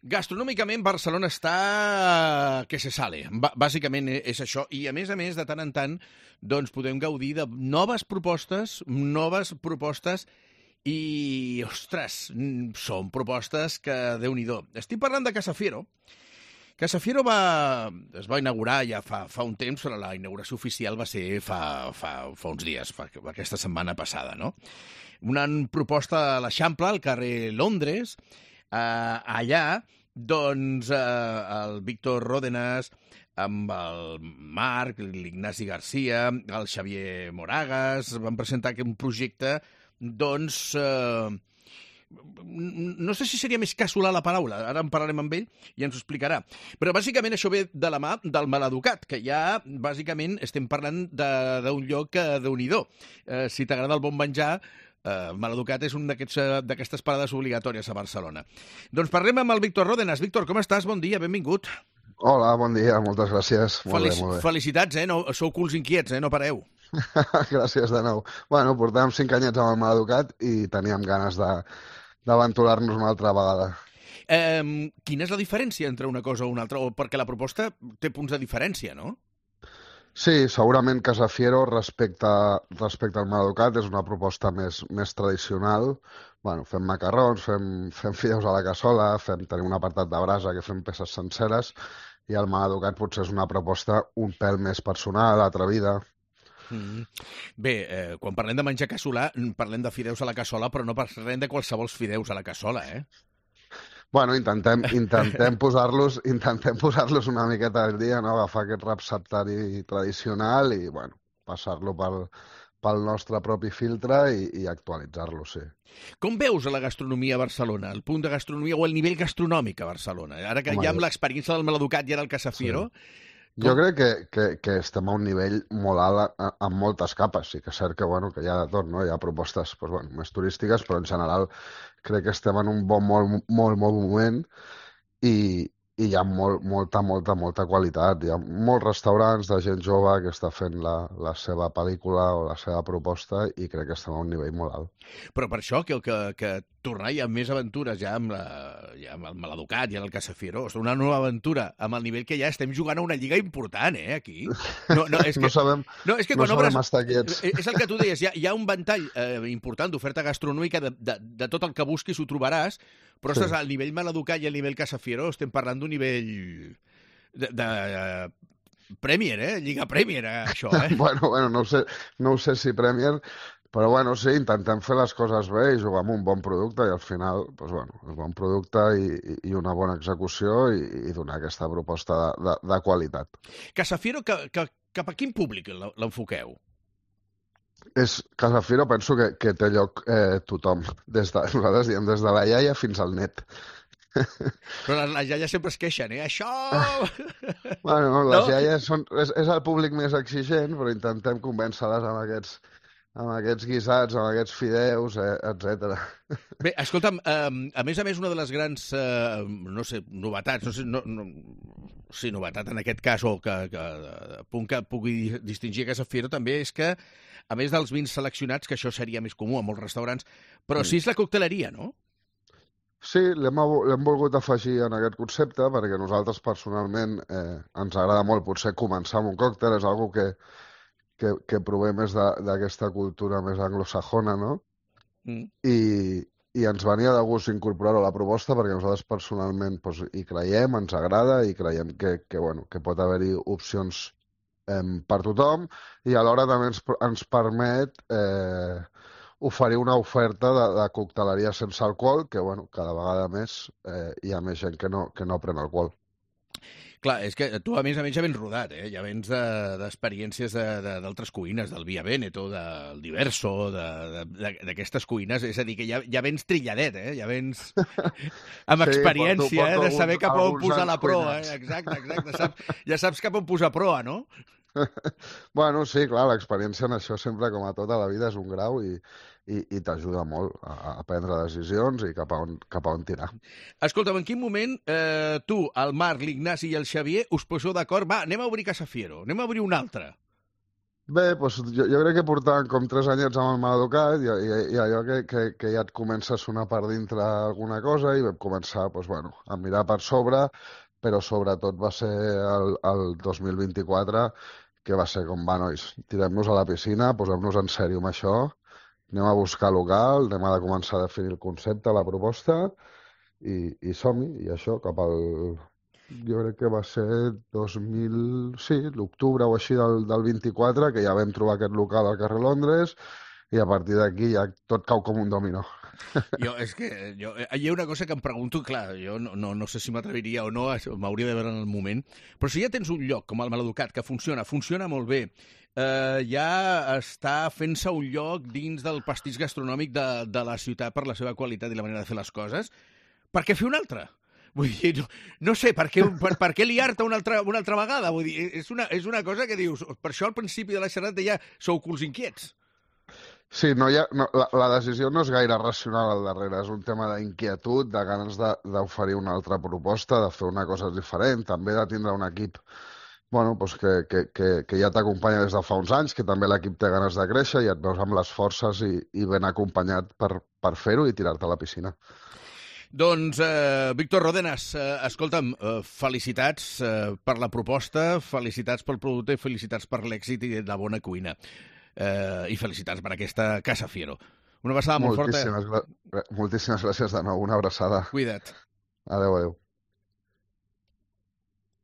Gastronòmicament, Barcelona està que se sale. Bàsicament és això. I, a més, de tant en tant, doncs podem gaudir de noves propostes i, ostres, són propostes que, Déu-n'hi-do. Estic parlant de Casa Fiero. Casa Fiero es va inaugurar ja fa un temps, però la inauguració oficial va ser fa uns dies, aquesta setmana passada, no? Una proposta a l'Eixample, al carrer Londres. Allà, doncs, el Víctor Ródenas, amb el Marc, l'Ignasi Garcia, el Xavier Moragas, van presentar un projecte, doncs, no sé si seria més casolà la paraula, ara en parlarem amb ell i ens ho explicarà. Però bàsicament això ve de la mà del Maleducat, que ja bàsicament estem parlant d'un lloc que, Déu-n'hi-do. Si t'agrada el bon menjar, Maleducat és una d'aquestes parades obligatòries a Barcelona. Doncs parlem amb el Víctor Ródenas. Víctor, com estàs? Bon dia, benvingut. Hola, bon dia, moltes gràcies. Molt bé. Felicitats, no, sou culs inquiets, no pareu. Gràcies de nou. Bueno, portàvem 5 anyets amb el Maleducat i teníem ganes d'aventurar-nos una altra vegada. Quina és la diferència entre una cosa o una altra? Perquè la proposta té punts de diferència, no? Sí, segurament Casa Fiero respecte al Maleducat és una proposta més tradicional. Bueno, fem macarrons, fem fideus a la cassola, tenim un apartat de brasa que fem peces senceres i el Maleducat potser és una proposta un pèl més personal, atrevida. Bé, quan parlem de menjar casolà, parlem de fideus a la cassola, però no parlem de qualsevol fideus a la cassola, Bueno, intentem posar-los una miqueta al dia, no? Agafar aquest receptari tradicional i, bueno, passar-lo pel nostre propi filtre i actualitzar-lo, sí. Com veus la gastronomia a Barcelona, el punt de gastronomia o el nivell gastronòmic a Barcelona? Ara que ja amb l'experiència del Maleducat i ara el Casa Fiero... Sí. Jo crec que estem a un nivell molt alt en moltes capes. Sí que és cert que, bueno, que hi ha de tot, no? Hi ha propostes més turístiques, però en general crec que estem en un molt moment i hi ha molta qualitat. Hi ha molts restaurants de gent jove que està fent la seva pel·lícula o la seva proposta i crec que estem a un nivell molt alt. Però per això que tornar ja amb més aventures, ja amb el Maleducat i amb el Casa Fiero, una nova aventura amb el nivell que ja estem jugant a una lliga important, aquí. No sabem estar quiets. És el que tu deies, hi ha un ventall important d'oferta gastronòmica, de tot el que busquis ho trobaràs, però sí. Al nivell Maleducat i al nivell Casa Fiero estem parlant d'un nivell de Premier, Lliga Premier, això, Bueno, no ho sé si Premier, però bueno, sí, intentem fer les coses bé i jugar amb un bon producte i al final, doncs bueno, un bon producte i una bona execució i donar aquesta proposta de qualitat. Casa Fiero, cap a quin públic l'enfoqueu? Casa Fiero penso que té lloc tothom. Nosaltres diem des de la iaia fins al net. Però les iaies sempre es queixen, Això! Bueno, les iaies és el públic més exigent, però intentem convèncer-les amb aquests guisats, amb aquests fideus, etc. Bé, escolta'm, a més, una de les grans, novetats, novetat en aquest cas, o que punt que pugui distingir a Casa Fiero també és que, a més dels vins seleccionats, que això seria més comú a molts restaurants, però sí és la cocteleria, no? Sí, l'hem volgut afegir en aquest concepte perquè nosaltres personalment ens agrada molt potser començar amb un còctel, és algo que prové més d'aquesta cultura més anglosajona, no? I ens venia de gust incorporar-ho a la proposta perquè nosaltres personalment hi creiem, ens agrada i creiem que pot haver-hi opcions per tothom i alhora també ens permet oferir una oferta de cocteleria sense alcohol que, cada vegada més hi ha més gent que no pren alcohol. Clar, és que tu, a més ja vens rodat, ja vens d'experiències d'altres cuines, del Via Veneto, del Diverso, d'aquestes cuines, és a dir, que ja vens trilladet, ja vens amb experiència, de saber cap on posar la proa, exacte, ja saps cap on posar proa, no? Bueno, sí, clar, l'experiència en això sempre, com a tota la vida, és un grau i t'ajuda molt a prendre decisions i cap a on tirar. Escolta'm, en quin moment tu, el Marc, l'Ignasi i el Xavier us poseu d'acord? Va, anem a obrir Casa Fiero, anem a obrir una altra. Bé, doncs jo crec que portaven com 3 anyets amb el Maleducat i allò que ja et comença a sonar per dintre alguna cosa i vam començar doncs, bueno, a mirar per sobre, però sobretot va ser el 2024 que va ser com, va, nois, tirem-nos a la piscina, posem-nos en sèrio amb això, anem a buscar local, anem a començar a definir el concepte, la proposta i som-hi, i això, cap al... Jo crec que va ser 2000, sí, l'octubre o així del 24, que ja vam trobar aquest local al carrer Londres, i a partir d'aquí ja tot cau com un dominó. És que hi ha una cosa que em pregunto, clar, jo no sé si m'atreviria o no, m'hauria de veure en el moment, però si ja tens un lloc com el Maleducat que funciona molt bé, ja està fent-se un lloc dins del pastís gastronòmic de la ciutat per la seva qualitat i la manera de fer les coses, per què fer un altre? Vull dir, no sé, per què liar-te una altra vegada? Vull dir, és una cosa que dius, per això al principi de la xerrada ja sou culs inquiets. Sí, la decisió no és gaire racional al darrere, és un tema d'inquietud, de ganes d'oferir una altra proposta, de fer una cosa diferent, també de tindre un equip bueno, doncs que ja t'acompanya des de fa uns anys, que també l'equip té ganes de créixer i et veus amb les forces i ben acompanyat per fer-ho i tirar-te a la piscina. Doncs, Víctor Rodenas, escolta'm, felicitats per la proposta, felicitats pel producte i felicitats per l'èxit i la bona cuina. I felicitats per aquesta Casa Fiero. Una abraçada molt forta. Moltíssimes gràcies de nou, una abraçada. Cuida't. Adéu, adéu.